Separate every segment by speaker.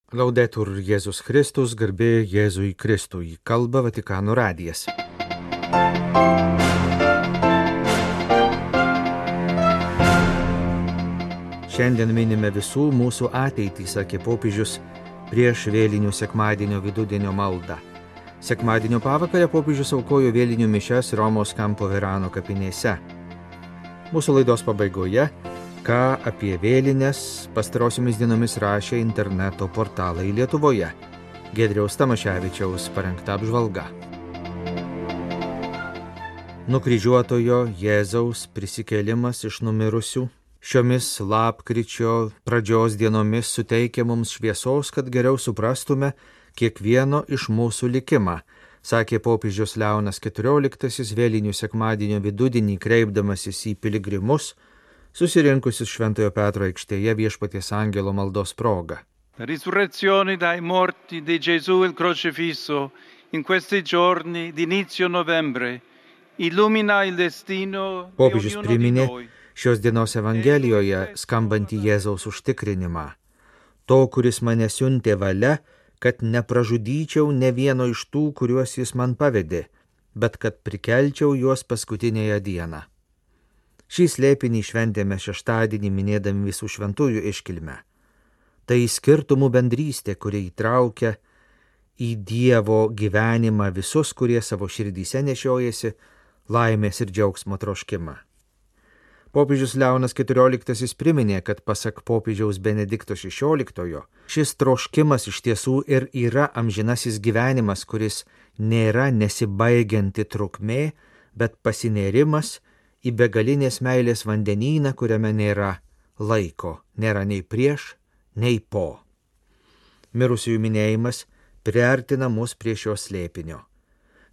Speaker 1: Laudetur Jėzus Kristus, garbė Jėzui Kristui, kalba Vatikano radijas. Šiandien minime visų mūsų ateitį, sakė popiežius prieš vėlinių sekmadienio vidudienio maldą. Sekmadienio pavakarę popiežius aukojo vėlinių mišias Romos Campo Verano kapinėse. Mūsų laidos pabaigoje, ką apie vėlines pastarosiomis dienomis rašė interneto portalai Lietuvoje. Giedriaus Tamaševičiaus parengta apžvalga. Nukryžiuotojo Jėzaus prisikėlimas iš numirusių šiomis lapkričio pradžios dienomis suteikia mums šviesos, kad geriau suprastume kiekvieno iš mūsų likimą, sakė popiežius Leonas XIV vėlinių sekmadienio vidudienį kreipdamasis į piligrimus, susirinkusius Šventojo Petro aikštėje Viešpaties angelo maldos proga.
Speaker 2: La risurrezione dai morti di Gesù il crocifisso in questi giorni di inizio novembre illumina il destino di
Speaker 1: Popiežius
Speaker 2: ognuno di
Speaker 1: priminė
Speaker 2: noi.
Speaker 1: šios dienos Evangelijoje skambantį Jėzaus užtikrinimą. To, kuris mane siuntė valia, kad nepražudyčiau ne vieno iš tų, kuriuos jis man pavedė, bet kad prikelčiau juos paskutinėje dieną. Šį slėpinį šventėme šeštadienį minėdami visų šventųjų iškilmę. Tai skirtumų bendrystė, kuri įtraukia į Dievo gyvenimą visus, kurie savo širdyse nešiojasi laimės ir džiaugsmo troškimą. Popiežius Leonas XIV priminė, kad pasak popiežiaus Benedikto XVI, šis troškimas iš tiesų ir yra amžinasis gyvenimas, kuris nėra nesibaigianti trukmė, bet pasinėrimas į begalinės meilės vandenyną, kuriame nėra laiko, nėra nei prieš, nei po. Mirusiųjų minėjimas priartina mus prie šio slėpinio.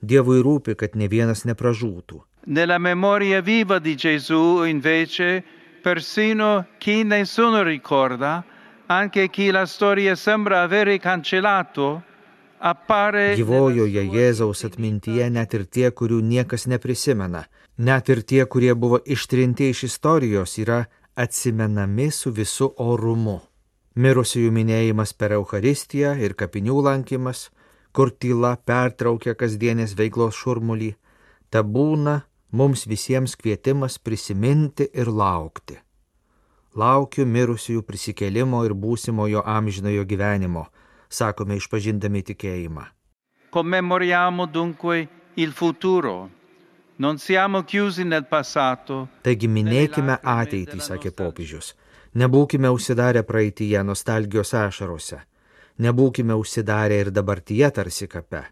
Speaker 1: Dievui rūpi, kad ne vienas nepražūtų.
Speaker 2: Nella memoria viva di Gesù, invece, persino chi nessuno ricorda, anche chi la storia sembra avere cancellato, appare
Speaker 1: Gyvojoje Jėzaus atmintyje net ir tie, kurių niekas neprisimena, net ir tie, kurie buvo ištrinti iš istorijos, yra atsimenami su visu orumu. Mirusiųjų minėjimas per Eucharistiją ir kapinių lankymas, kur tyla pertraukia kasdienės veiklos šurmulį, ta būna mums visiems kvietimas prisiminti ir laukti. Laukiu mirusiųjų prisikėlimo ir būsimojo amžinojo gyvenimo, sakome išpažindami tikėjimą.
Speaker 2: Commemoriamo dunque il futuro. Non siamo chiusi nel passato.
Speaker 1: Taigi minėkime ateitį, sakė popiežius. Nebūkime užsidarę praeityje nostalgijos ašarose. Nebūkime užsidarę ir dabartyje tarsi kape.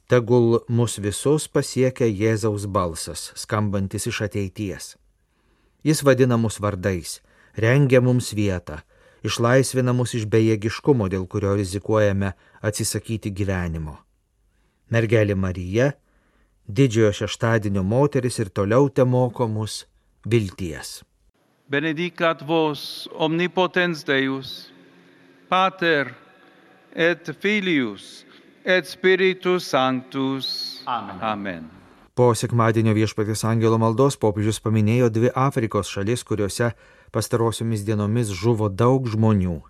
Speaker 1: Tegul mus visus pasiekia Jėzaus balsas, skambantis iš ateities. Jis vadina mus vardais, rengia mums vietą, išlaisvina mus iš bejėgiškumo, dėl kurio rizikuojame atsisakyti gyvenimo. Mergelė Marija, didžiojo šeštadienio moteris, ir toliau temoko mus vilties.
Speaker 2: Benedicat vos omnipotens Deus, Pater et Filius et Spiritus Sanctus. Amen. Amen.
Speaker 1: Po sekmadienio Viešpaties angelo maldos popiežius paminėjo 2 Afrikos šalis, kuriuose pastarosiomis dienomis žuvo daug žmonių.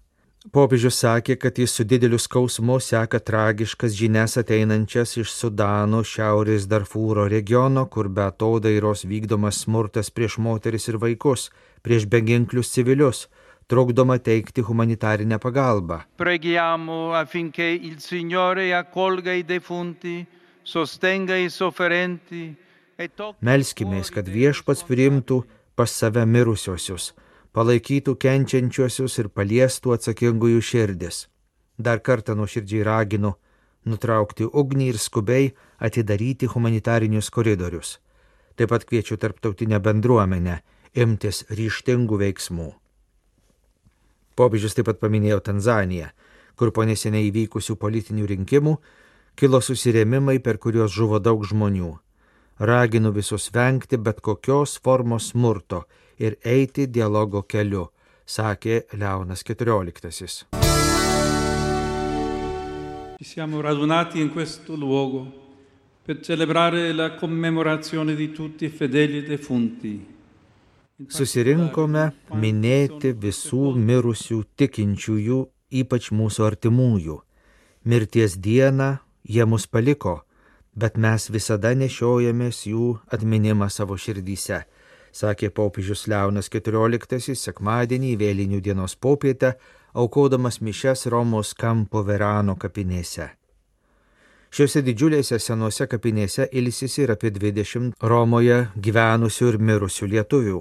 Speaker 1: Popiežius sakė, kad jis su dideliu skausmu seka tragiškas žinias ateinančias iš Sudano šiaurės Darfūro regiono, kur be atodairos vykdomas smurtas prieš moteris ir vaikus, prieš beginklius civilius, trukdoma teikti humanitarinę pagalbą.
Speaker 2: Preghiamo affinché il Signore accolga i defunti, sostenga i sofferenti e tocchi.
Speaker 1: Melskimės, kad Viešpats priimtų pas save mirusiosius, palaikytų kenčiančiosius ir paliestų atsakingųjų širdis. Dar kartą nuoširdžiai raginu nutraukti ugnį ir skubiai atidaryti humanitarinius koridorius. Taip pat kviečiu tarptautinę bendruomenę imtis ryžtingų veiksmų. Popiežius taip pat paminėjo Tanzaniją, kur po neseniai įvykusių politinių rinkimų kilo susirėmimai, per kuriuos žuvo daug žmonių. Raginu visus vengti bet kokios formos smurto ir eiti dialogo keliu, sakė Leonas XIV.
Speaker 3: Ci siamo radunati in questo luogo per celebrare la commemorazione di tutti i fedeli defunti.
Speaker 1: Susirinkome minėti visų mirusių tikinčiųjų ypač mūsų artimųjų. Mirties dieną jie mus paliko, bet mes visada nešiojamės jų atminimą savo širdyse, sakė popiežius Leonas XIV sekmadienį vėlinių dienos popietę, aukodamas mišias Romos Campo Verano kapinėse. Šiuose didžiulėse senose kapinėse ilsisi ir apie 20 Romoje gyvenusių ir mirusių lietuvių.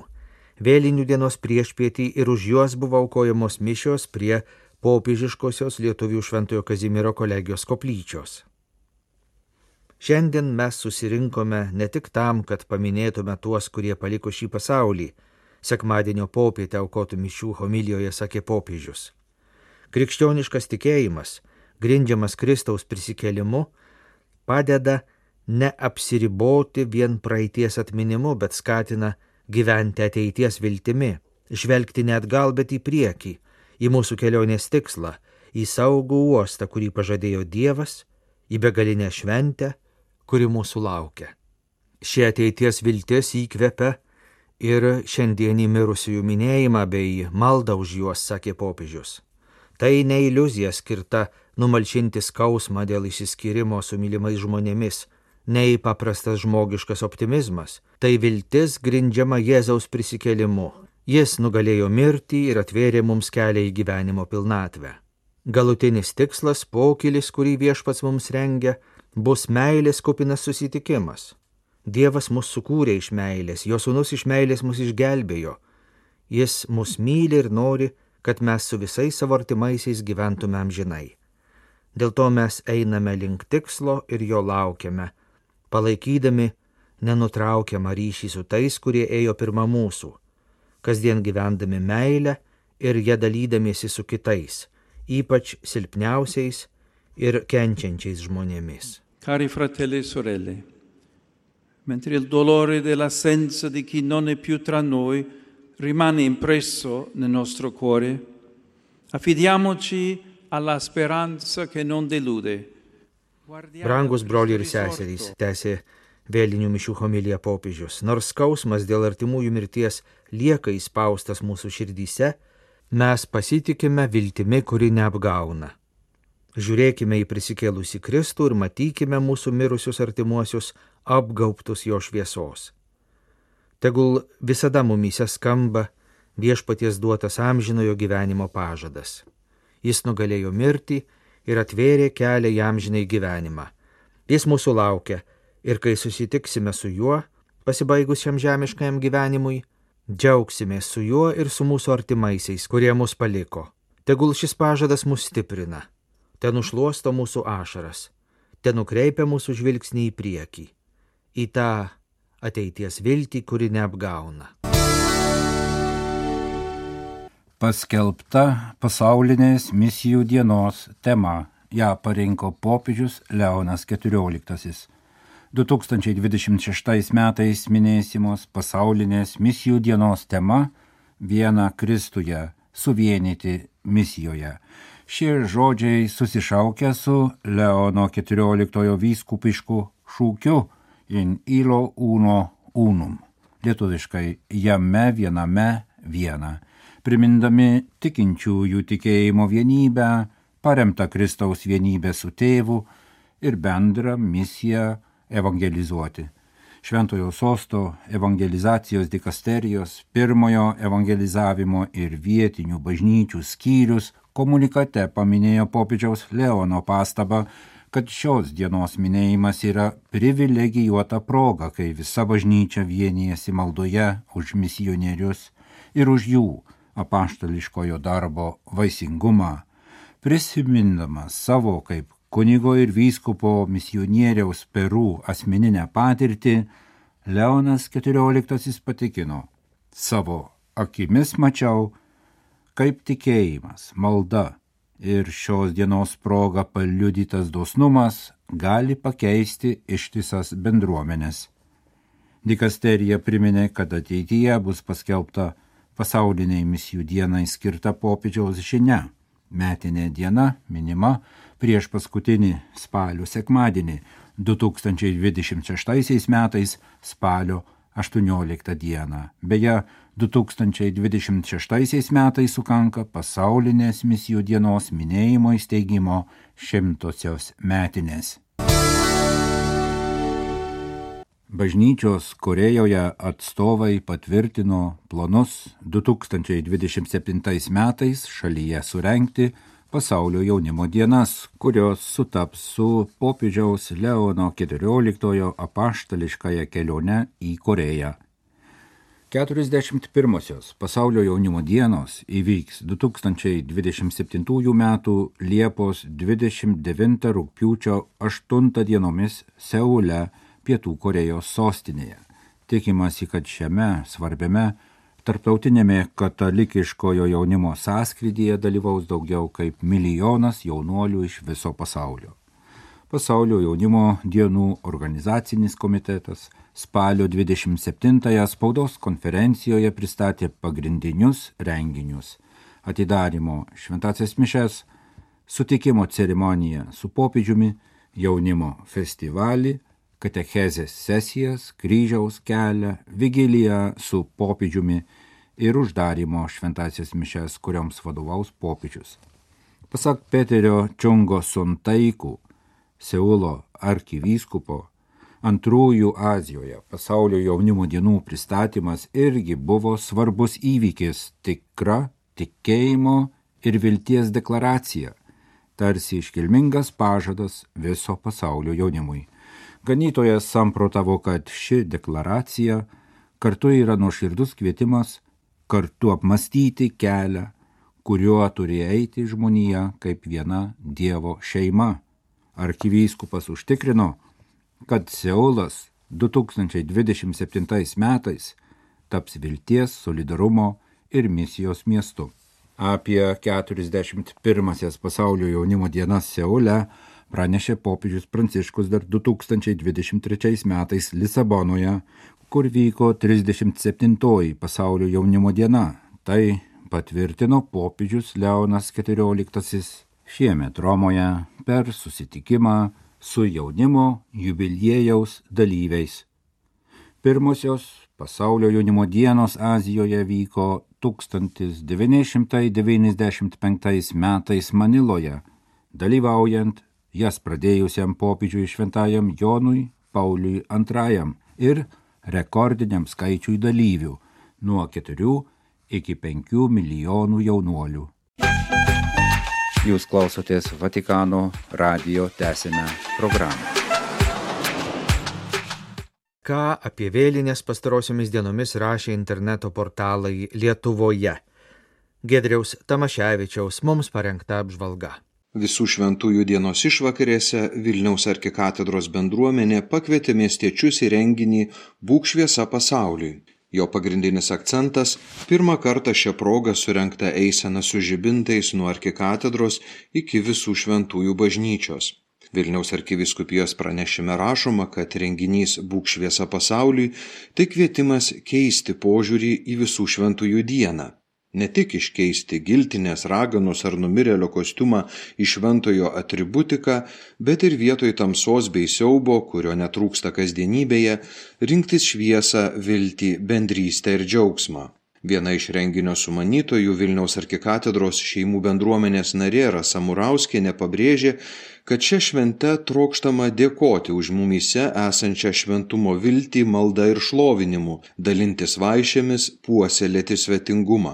Speaker 1: Vėlinių dienos priešpietį ir už juos buvo aukojamos mišios prie popiežiškosios lietuvių Šventojo Kazimiero kolegijos koplyčios. Šiandien mes susirinkome ne tik tam, kad paminėtume tuos, kurie paliko šį pasaulį, sekmadienio popietę aukotų mišių homilijoje sakė popiežius. Krikščioniškas tikėjimas, grindžiamas Kristaus prisikėlimu, padeda neapsiriboti vien praeities atminimu, bet skatina gyventi ateities viltimi, žvelgti ne atgal, bet į priekį, į mūsų kelionės tikslą, į saugų uostą, kurį pažadėjo Dievas, į begalinę šventę, kuri mūsų laukia. Šie ateities viltis įkvepia ir šiandienį mirusiųjų minėjimą bei maldą už juos, sakė popiežius. Tai ne iliuzija skirta numalšinti skausmą dėl išsiskyrimo su mylimais žmonėmis, nei paprastas žmogiškas optimizmas, tai viltis grindžiama Jėzaus prisikėlimu. Jis nugalėjo mirtį ir atvėrė mums kelią į gyvenimo pilnatvę. Galutinis tikslas, pokylis, kurį Viešpats mums rengia, bus meilės kupinas susitikimas. Dievas mus sukūrė iš meilės, jo sūnus iš meilės mus išgelbėjo. Jis mus myli ir nori, kad mes su visais savo artimaisiais gyventume amžinai. Dėl to mes einame link tikslo ir jo laukiame, palaikydami nenutraukiamą ryšį su tais, kurie ėjo pirma mūsų, kasdien gyvendami meilę ir ją dalydamiesi su kitais, ypač silpniausiais ir kenčiančiais žmonėmis.
Speaker 3: Cari fratelli e sorelle, mentre il dolore dell'assenza di chi non è più tra noi rimane impresso nel nostro cuore, affidiamoci alla speranza che non delude.
Speaker 1: Brangus broliai ir seserys, tęsė vėlinių mišių homilija popiežius, nors skausmas dėl artimųjų mirties lieka įspaustas mūsų širdyse, mes pasitikime viltimi, kuri neapgauna. Žiūrėkime į prisikėlusį Kristų ir matykime mūsų mirusius artimuosius apgaubtus jo šviesos. Tegul visada mumyse skamba Viešpaties duotas amžinojo gyvenimo pažadas. Jis nugalėjo mirtį ir atvėrė kelią į amžinai gyvenimą. Jis mūsų laukia ir kai susitiksime su juo, pasibaigus šiam žemiškajam gyvenimui, džiaugsimės su juo ir su mūsų artimaisiais, kurie mus paliko. Tegul šis pažadas mus stiprina, te nušluosto mūsų ašaras, te nukreipia mūsų žvilgsnį į priekį, į tą ateities viltį, kuri neapgauna.
Speaker 4: Paskelbta pasaulinės misijų dienos tema. Ja parinko popiežius Leonas XIV. 2026 metais minėsimos pasaulinės misijų dienos tema Viena Kristuje – suvienyti misijoje. Šie žodžiai susišaukia su Leono XIV vyskupišku šūkiu In illo uno unum, lietuviškai jame viename viena, primindami tikinčiųjų tikėjimo vienybę, paremtą Kristaus vienybę su tėvu ir bendrą misiją evangelizuoti. Šventojo sosto evangelizacijos dikasterijos, pirmojo evangelizavimo ir vietinių bažnyčių skyrius komunikate paminėjo popiežiaus Leono pastabą, kad šios dienos minėjimas yra privilegijuota proga, kai visa bažnyčia vienijasi maldoje už misionierius ir už jų apaštališkojo darbo vaisingumą, prisimindamas savo kaip kunigo ir vyskupo misionieriaus Peru asmeninę patirtį, Leonas XIV patikino: savo akimis mačiau, kaip tikėjimas, malda ir šios dienos proga paliudytas dosnumas gali pakeisti ištisas bendruomenės. Dikasterija priminė, kad ateityje bus paskelbta pasauliniai misijų dienai skirta popiežiaus žinia. Metinė diena minima prieš paskutinį spalio sekmadienį 2026 metais spalio 18 dieną. Beje, 2026 metais sukanka pasaulinės misijų dienos minėjimo įsteigimo 100-osios metinės. Bažnyčios Korėjoje atstovai patvirtino planus 2027 metais šalyje surengti pasaulio jaunimo dienas, kurios sutaps su popiežiaus Leono XIV apaštališkąja kelione į Korėją. 41-osios pasaulio jaunimo dienos įvyks 2027 metų Liepos 29 rugpjūčio 8 dienomis Seule, Pietų Korėjos sostinėje. Tikimasi, kad šiame svarbiame tarptautinėme katalikiškojo jaunimo sąskrydyje dalyvaus daugiau kaip 1 milijonas jaunuolių iš viso pasaulio. Pasaulio jaunimo dienų organizacinis komitetas spalio 27-ąją spaudos konferencijoje pristatė pagrindinius renginius: atidarymo šventąsias mišias, sutikimo ceremoniją su popiežiumi, jaunimo festivalį, katechezės sesijas, kryžiaus kelią, vigiliją su popiežiumi ir uždarymo šventąsias mišias, kurioms vadovaus popiežius. Pasak Peterio Čungo Suntaikų, Seulo arkivyskupo, antrųjų Azijoje pasaulio jaunimo dienų pristatymas irgi buvo svarbus įvykis, tikra tikėjimo ir vilties deklaracija, tarsi iškilmingas pažadas viso pasaulio jaunimui. Ganytojas samprotavo, kad ši deklaracija kartu yra nuoširdus kvietimas kartu apmąstyti kelią, kuriuo turi eiti žmonija kaip viena Dievo šeima. Arkivyskupas užtikrino, kad Seulas 2027 metais taps vilties, solidarumo ir misijos miestu. Apie 41-asias pasaulio jaunimo dienas Seule pranešė popiežius Pranciškus dar 2023 metais Lisabonoje, kur vyko 37-oji pasaulio jaunimo diena. Tai patvirtino popiežius Leonas XIV šiemet Romoje per susitikimą su jaunimo jubiliejaus dalyviais. Pirmosios pasaulio jaunimo dienos Azijoje vyko 1995 metais Maniloje, dalyvaujant jas pradėjusiam popiežiui šventajam Jonui Pauliui II ir rekordiniam skaičiui dalyvių nuo 4 iki 5 milijonų jaunuolių. Jūs klausotės Vatikano radijo, tęsime programą.
Speaker 1: Ką apie vėlinės pastarosiomis dienomis rašė interneto portalai Lietuvoje? Giedriaus Tamaševičiaus mums parengta apžvalga.
Speaker 5: Visų šventųjų dienos išvakarėse Vilniaus arkikatedros bendruomenė pakvietė miestiečius į renginį Būk šviesa pasauliui. Jo pagrindinis akcentas – pirmą kartą šią progą surengta eisena su žibintais nuo arkikatedros iki Visų šventųjų bažnyčios. Vilniaus arkivyskupijos pranešime rašoma, kad renginys Būk šviesa pasauliui – tai kvietimas keisti požiūrį į Visų šventųjų dieną. Ne tik iškeisti giltinės, raganos ar numirėlio kostiumą į šventojo atributiką, bet ir vietoj tamsos bei siaubo, kurio netrūksta kasdienybėje, rinktis šviesą, viltį, bendrystę ir džiaugsmą. Viena iš renginio sumanytojų Vilniaus arkikatedros šeimų bendruomenės narė Rasa Murauskienė pabrėžė, kad šią šventę trokštama dėkoti už mumyse esančią šventumo viltį, maldą ir šlovinimu, dalintis vaišėmis, puoselėti svetingumą.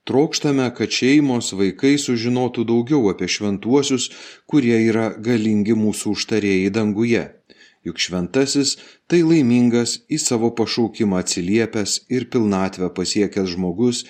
Speaker 5: Trokštame, kad šeimos, vaikai sužinotų daugiau apie šventuosius, kurie yra galingi mūsų užtarėjai danguje. Juk šventasis tai laimingas, į savo pašaukimą atsiliepęs ir pilnatvę pasiekęs žmogus,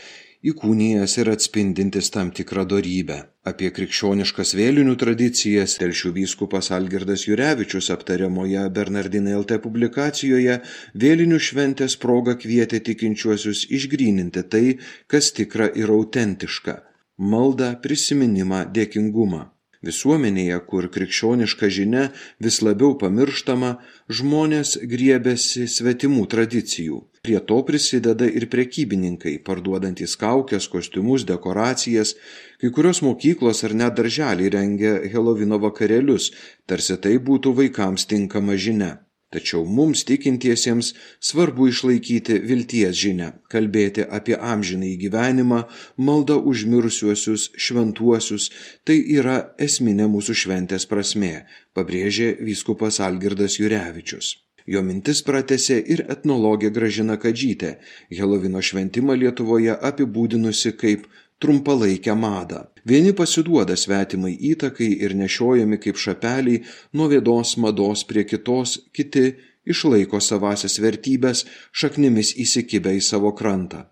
Speaker 5: įkūnijęs ir atspindintis tam tikrą dorybę. Apie krikščioniškas vėlinių tradicijas Telšių vyskupas Algirdas Jurevičius aptariamoje Bernardinai LT publikacijoje vėlinių šventės proga kvietė tikinčiuosius išgryninti tai, kas tikra ir autentiška – maldą, prisiminimą, dėkingumą. Visuomenėje, kur krikščioniška žinia vis labiau pamirštama, žmonės griebiasi svetimų tradicijų. Prie to prisideda ir prekybininkai, parduodantys kaukes, kostiumus, dekoracijas. Kai kurios mokyklos ar net darželiai rengia Helovino vakarėlius, tarsi tai būtų vaikams tinkama žinia. Tačiau mums tikintiesiems svarbu išlaikyti vilties žinią, kalbėti apie amžinąjį gyvenimą, maldą už mirusiuosius, šventuosius, tai yra esminė mūsų šventės prasmė, pabrėžė vyskupas Algirdas Jurevičius. Jo mintis pratęsė ir etnologė Gražina Kadžytė, Helovino šventimą Lietuvoje apibūdinusi kaip trumpalaikę madą. Vieni pasiduoda svetimai įtakai ir nešiojami kaip šapeliai nuo vienos mados prie kitos, kiti išlaiko savasias vertybės, šaknimis įsikibę į savo krantą.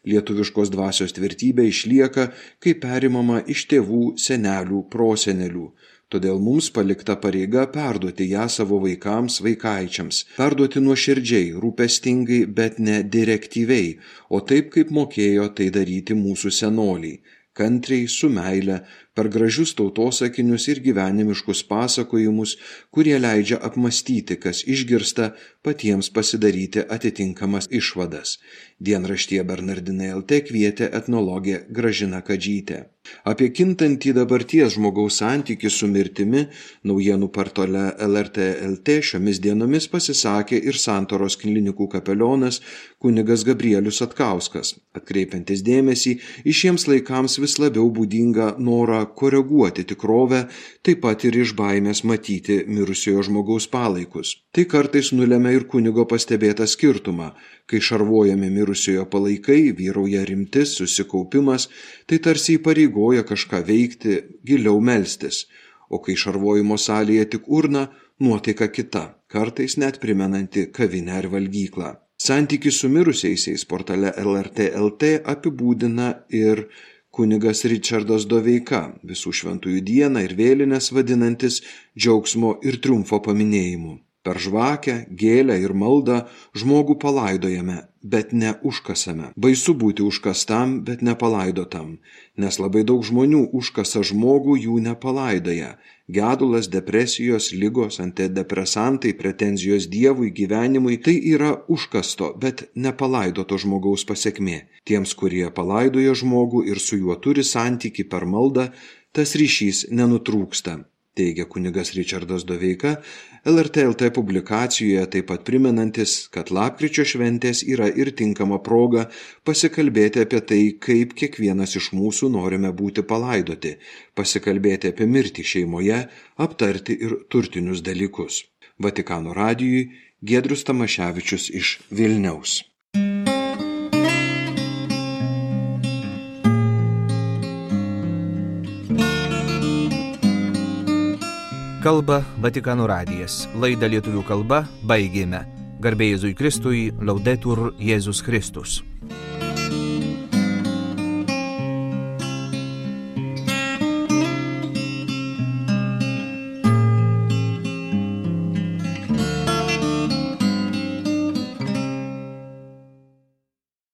Speaker 5: Lietuviškos dvasios tvirtybė išlieka, kai perimama iš tėvų, senelių, prosenelių. Todėl mums palikta pareiga perduoti ją savo vaikams, vaikaičiams, perduoti nuoširdžiai, rūpestingai, bet ne direktyviai, o taip, kaip mokėjo tai daryti mūsų senoliai, kantriai, su meile, per gražius tautosakinius ir gyvenimiškus pasakojimus, kurie leidžia apmastyti, kas išgirsta, patiems pasidaryti atitinkamas išvadas. Dienraštyje Bernardinai LT kvietė etnologė Gražina Kadžytė. Apie kintantį dabarties žmogaus santykį su mirtimi naujienų portale LRT LT šiomis dienomis pasisakė ir Santaros klinikų kapelionas kunigas Gabrielius Atkauskas, atkreipiantis dėmesį į šiems laikams vis labiau būdingą norą koreguoti tikrovę, taip pat ir iš baimės matyti mirusiojo žmogaus palaikus. Tai kartais nulemia ir kunigo pastebėtą skirtumą, kai šarvojami mirusiojo palaikai, vyrauja rimtis, susikaupimas, tai tarsi įpareigoja kažką veikti, giliau melstis, o kai šarvojimo salėje tik urna, nuotaika kita, kartais net primenanti kavinę ar valgyklą. Santykį su mirusiaisiais portale LRT LT apibūdina ir kunigas Ričardas Doveika, visų šventųjų dieną ir vėlines vadinantis džiaugsmo ir triumfo paminėjimu. Per žvakę, gėlę ir maldą žmogų palaidojame, bet ne užkasame. Baisu būti užkastam, bet nepalaidotam, nes labai daug žmonių užkasa žmogų, jų nepalaidoja. Gedulas, depresijos, ligos, antidepresantai, pretenzijos Dievui, gyvenimui – tai yra užkasto, bet nepalaidoto žmogaus pasekmė. Tiems, kurie palaidoja žmogų ir su juo turi santykį per maldą, tas ryšys nenutrūksta, teigia kunigas Ričardas Doveika, LRT LT publikacijoje taip pat primenantis, kad lapkričio šventės yra ir tinkama proga pasikalbėti apie tai, kaip kiekvienas iš mūsų norime būti palaidoti, pasikalbėti apie mirtį šeimoje, aptarti ir turtinius dalykus. Vatikano radijui Giedrius Tamaševičius iš Vilniaus.
Speaker 1: Kalba Vatikano radijas. Laidą lietuvių kalba baigėme. Garbė Jėzui Kristui, Laudetur Jėzus Kristus.